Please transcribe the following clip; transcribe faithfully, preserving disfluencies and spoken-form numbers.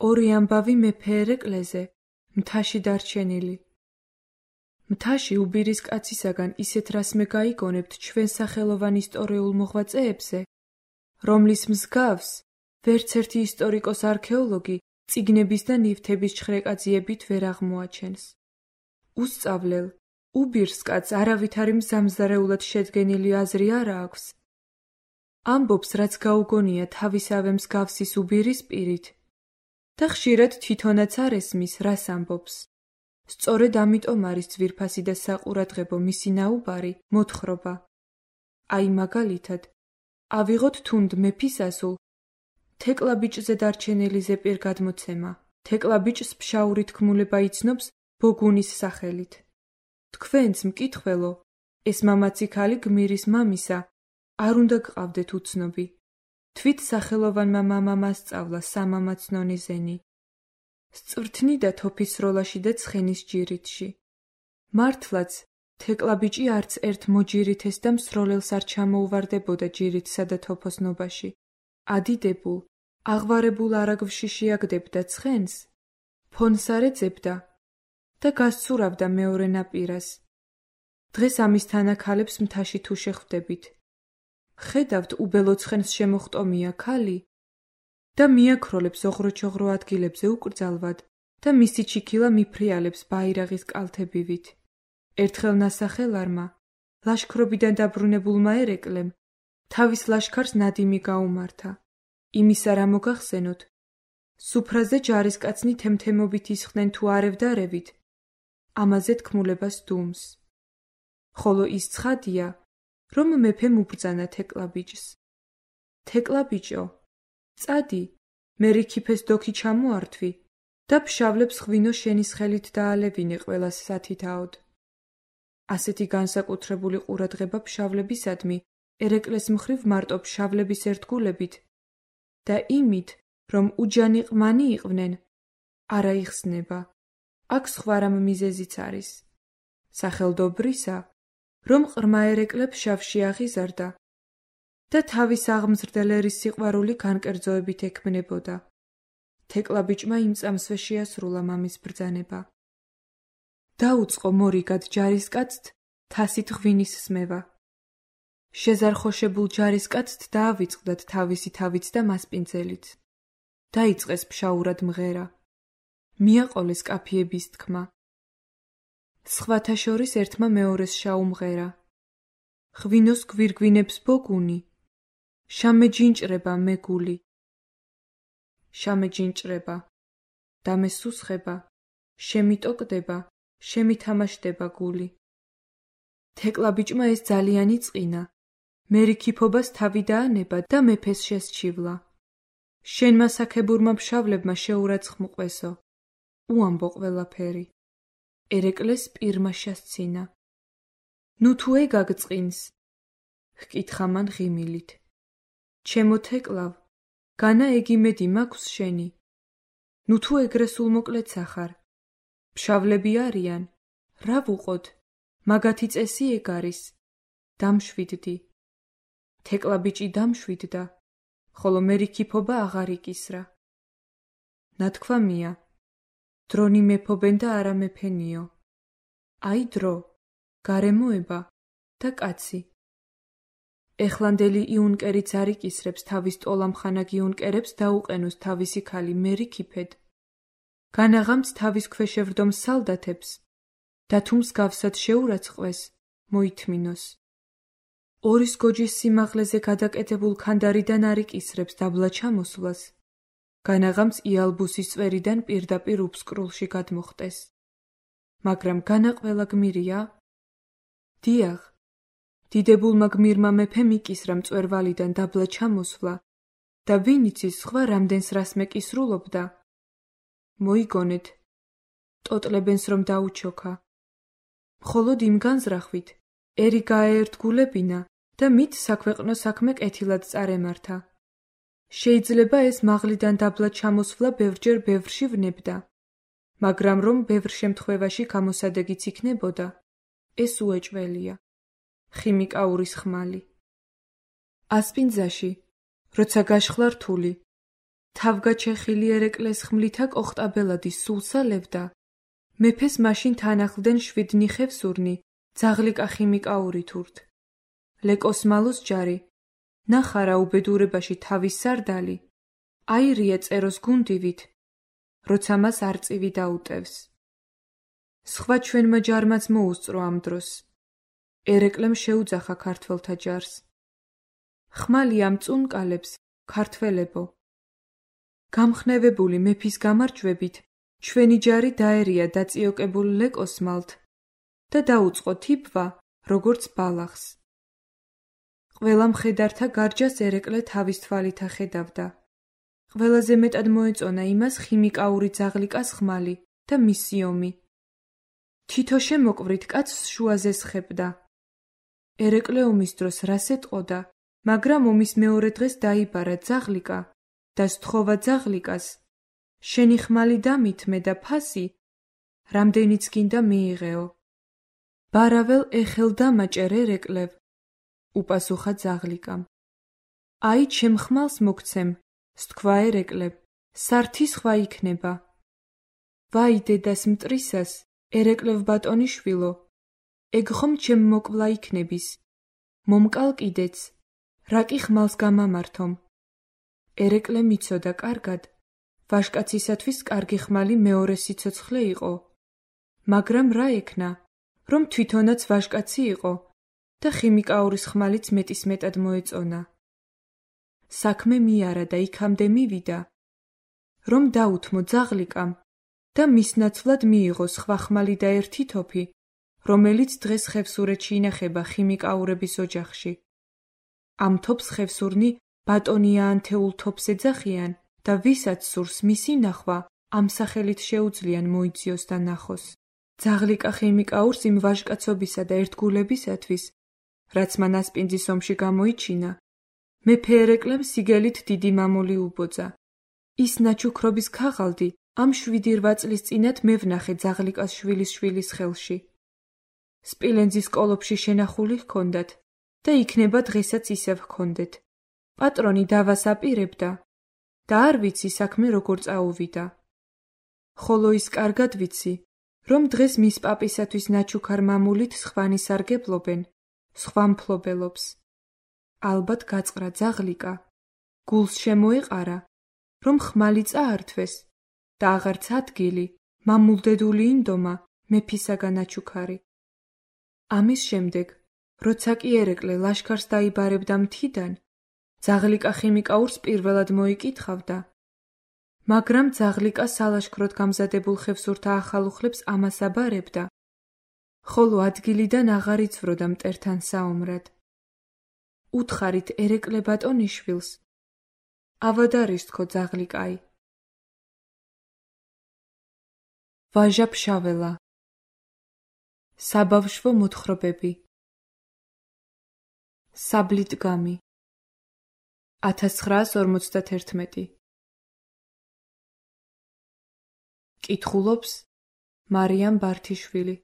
ორი ამბავი მეფე ერეკლეზე, მთაში დარჩენილი. მთაში უბირის კაცისაგან ისეთ რასმე გაიგონებთ ჩვენ სახელოვან ისტორიულ მოღვაწეებზე, რომლის მსგავს ვერც ერთი ისტორიკოს არქეოლოგი წიგნების და ნივთების ჩხრეკაძიებით ვერ აღმოაჩენს. უსწავლელ, უბირს კაცს არავითარი მზამზარეულად შედგენილი აზრი არა აქვს. ამბობს, რაც გაუგონია თავისავე მსგავსის უბირის პირით და ხშირად თვითონაც არ ესმის, რას ამბობს. სწორედ ამიტომ არის ძვირფასი და საყურადღებო მისი ნაუბარი მოთხრობა. აი მაგალითად, ავიღოთ თუნდ მეფის ასულ თეკლაბიჭზე დარჩენილი ზეპირ გადმოცემა. თეკლაბიჭს ფშაური თქმულება იცნობს ბოგუნის სახელით. თქვენც მკითხველო, ეს მამაცი ქალი გმირის მამისა არ უნდა გყავდეთ უცნობი. თვით სახელოვანმა მამამ ასწავლა სამამაცნონი ზენი. სწვრთნი და თოფის სროლაში და ცხენის ჯირითში. მართლაც, თეკლაბიჭი არც ერთ მოჯირითეს და მსროლელს არ ჩამოუვარდებოდა ჯირითსა და თოფოსნობაში. ადიდებულ, აღვარებულ არაგვში შეაგდებდა ცხენს, ფონს არ ეძებდა და გასცურავდა მეორე ნაპირას. დღეს ამის თანაქალებს მთაში თუ შეხვდებით. ხედავთ უბელო ცხენს შემოხტომია ქალი და მიაქროლებს ოღროჩოღრო ადგილებზე უკრძალვად და მისი ჩიქილა მიფრიალებს ბაირაღის კალთებივით. ერთხელ ნასახელარმა, ლაშქრობიდან დაბრუნებულმა ერეკლემ, თავის ლაშქარს ნადიმი გაუმართა. იმისა რა მოგახსენოთ, სუფრაზე ჯარისკაცნი თემთემობით ისხდნენ თუ არევდარევით, ამაზე თქმულებას დუმს. ხოლო ის ცხადია, რომ მეფემ უბრძანა თეკლაბიჭს. თეკლაბიჭო, წადი, მე რიქიფეს დოქი ჩამოართვი და ფშავლებს ღვინო შენის ხელით დაალევინე ყველას სათითაოდ. ასეთი განსაკუთრებული ყურადღება ფშავლებისადმი ერეკლეს მხრივ მარტო ფშავლების ერთგულებით და იმით, რომ უჯანი ყმანი იყვნენ, არა იხსნება. აქ სხვა რამ მიზეზიც არის. სახელდობრისა, რომ ყრმა ერეკლე ფშავში აღიზარდა და თავის აღმზრდელ ერის სიყვარული განკერძოებით ექმნებოდა. თეკლაბიჭმა იმ წამსვე შეასრულა მამის ბრძანება. დაუწყო მორიგად ჯარისკაცთ თასით ღვინის სმევა. შეზარხოშებულ ჯარისკაცთ დაავიწყდათ თავისი თავით და მასპინძელით. დაიწყეს ფშაურად მღერა. მიაყოლეს კაფიების თქმა. სხვათა შორის ერთმა მეორეს შაუმღერა. ღვინოს გვირგვინებს ბოგუნი, შამეჯინჭრება მეგული. შამეჯინჭრება, დამესუსხება, შემიტოკდება, შემითამაშდება გული. თეკლაბიჭმა ეს ძალიან იწყინა. მერიქიფობას თავი დაანება და მეფეს შესჩივლა. შენმა საქებურმა ფშავლებმა შეურაცხმყვესო. უამბო ყველაფერი. ერეკლეს პირმა შესცინა. ნუ თუ ეგაგწყინს, ჰკითხა მან ღიმილით. ჩემო თეკლავ, განა ეგიმედი მაქვს შენი. ნუ თუ ეგრე სულ მოკლეცა ხარ. ფშავლები არიან, რა ვუყოთ, მაგათი წესი ეგ არის. დამშვიდდი. თეკლაბიჭი დამშვიდდა, ხოლო მერიქიფობა აღარ იკისრა. ნათქვამია, დრონი მეფობენ და არა მეფენიო. აი დრო, გარემოება და კაცი. ეხლანდელი იუნკერიც არ იკისრებს თავის ტოლამხანა გიუნკერებს დაუყენოს თავისი ქალი მერიქიფედ. განაღამც თავის ქვეშევრდომ სალდათებს და თუ მსგავსად შეურაცხყვეს, მოითმინოს. ორის გოჯის სიმაღლეზე გადაკეთებულ ქანდარიდან არ იკისრებს დაბლა ჩამოსვლას. განაღამც იალბუსის წვერიდან პირდაპირ უფსკრულში გადმოხტეს. მაგრამ განა ყველა გმირია? დიახ, დიდებულმა გმირმა მეფემ იკისრა მწვერვალიდან დაბლა ჩამოსვლა და ვინ იცის სხვა რამდენს რასმე კისრულობდა? მოიგონეთ, ტოტლებენს რომ დაუჩოქა. მხოლოდ იმ განზრახვით, ერი გააერთგულებინა და მით საქვეყნო საქმე კეთილად წარემართა. შეიძლება ეს მაღლიდან დაბლა ჩამოსვლა ბევრჯერ ბევრში ვნებდა, მაგრამ რომ ბევრ შემთხვევაში გამოსადეგიც იქნებოდა, ეს უეჭველია. ხიმიკაურის ხმალი. ასპინძაში, როცა გაშხლა რთული, თავგაჩეხილი ერეკლეს ხმლითა კოხტაბელადი სულსალევდა, მეფეს მაშინ თანახლდნენ შვიდნიხევ სურნი, ძაღლიკა ხიმიკაური თურთ. ლეკოსმალოს ჯარი, ნახარა უბედურებაში თავის სარდალი, აირია წეროს გუნდივით, როცა მას არწივი დაუტევს. სხვა ჩვენმა ჯარმაც მოუსწრო ამ დროს. ერეკლემ შეუძახა ქართველთა ჯარს. ხმალი ამ წუნკალებს, ქართველებო. გამხნევებული მეფის გამარჯვებით, ჩვენი ჯარი დაერია დაწიოკებულ ლეკოსმალთ და დაუწყო თიბვა, როგორც ბალახს. ყველა მხედართა გარჯას ერეკლე თავის თვალით ახედავდა. ყველაზე მეტად მოეწონა იმას ხიმიკაური ძაღლიკას ხმალი და მისი ომი. თითო შემოკვვრით კაცს შუაზე სხებდა. ერეკლე ომის დროს რას ეტყოდა, მაგრამ ომის მეორე დღეს დაიბარა ძაღლიკა და სთხოვა ძაღლიკას, შენი ხმალი დამითმე და ფასი, რამდენიც გინდა მიიღეო. ბარაველ ეხელ დამაჭერ ერეკლევ, უპასუხა ძაღლიკამ. აი ჩემ ხმალს მოგცემ, სთქვა ერეკლევ, სართი სხვა იქნება. ვაი დედას მტრისას, ერეკლევ ბატონიშვილო, ეგ ხომ ჩემ მოკვლა იქნების, მომკალ კიდეც, რა კი ხმალს გამამართომ. ერეკლე მიცოდა კარგად, ვაჟკაცისათვის კარგი ხმალი მეორე სიცოცხლე იყო, მაგრამ რა ექნა, რომ თვითონაც ვაჟკაცი იყო და ხიმიკაურის ხმალიც მეტისმეტად მოეწონა. საქმე მიარა და იქამდე მივიდა, რომ დაუთმო ძაღლიკამ და მის ნაცვლად მიიღო სხვა ხმალი და ერთი თოფი, რომელიც დღეს ხევსურეთში ინახება ხიმიკაურების ოჯახში. ამ თოფს ხევსურნი ბატონია ანთეულ თოფს ეძახიან და ვისაც სურს მისი ნახვა, ამ სახელით შეუძლიან მოიძიოს და ნახოს. ძაღლიკა ხიმიკაურს იმ ვაჟკაცობისა და ერთგულებისათვის, რაც მან ასპინძის ომში გამოიჩინა, მეფე ერეკლემ სიგელით დიდი მამული უბოძა. ის ნაჩუქრობის ქაღალდი ამ შვიდი რვა წლის წინათ მე ვნახე ძაღლიკას შვილის შვილის ხელში. სპილენძის კოლოფში შენახული ჰქონდათ და იქნება დღესაც ისევ ჰქონდეთ. პატრონი დავას აპირებდა და არ ვიცი საქმე როგორ წაუვიდა. ხოლო ის კარგად ვიცი, რომ დღეს მის პაპისათვის ნაჩუქარ მამულით სხვანი სარგებლობენ, სხვა მფლობელობს. ალბათ გაწყრა ძაღლიკა, გულს შემოეყარა, რომ ხმალი წაართვეს და აღარც ადგილი, მამულდედული ინდომა მეფისაგან აჩუქარი. ამის შემდეგ, როცა კი ერეკლე ლაშქარს დაიბარებდა მთიდან, ძაღლიკა ხიმიკაურს პირველად მოიკითხავდა, მაგრამ ძაღლიკა სალაშქროდ გამზადებულ ხევსურთა ახალუხლებს ამას აბარებდა, ხოლო ადგილიდან აღარ იცვროდა მტერთან საომრად. უთხარით ერეკლე ბატონიშვილს, ავადარის თქო ძაღლიკაი. ვაჟა ფშაველა. საბავშვო მოთხრობები. საბლიტგამი. ათას ცხრაას ორმოცდათერთმეტი. კითხულობს მარიამ ბართიშვილი.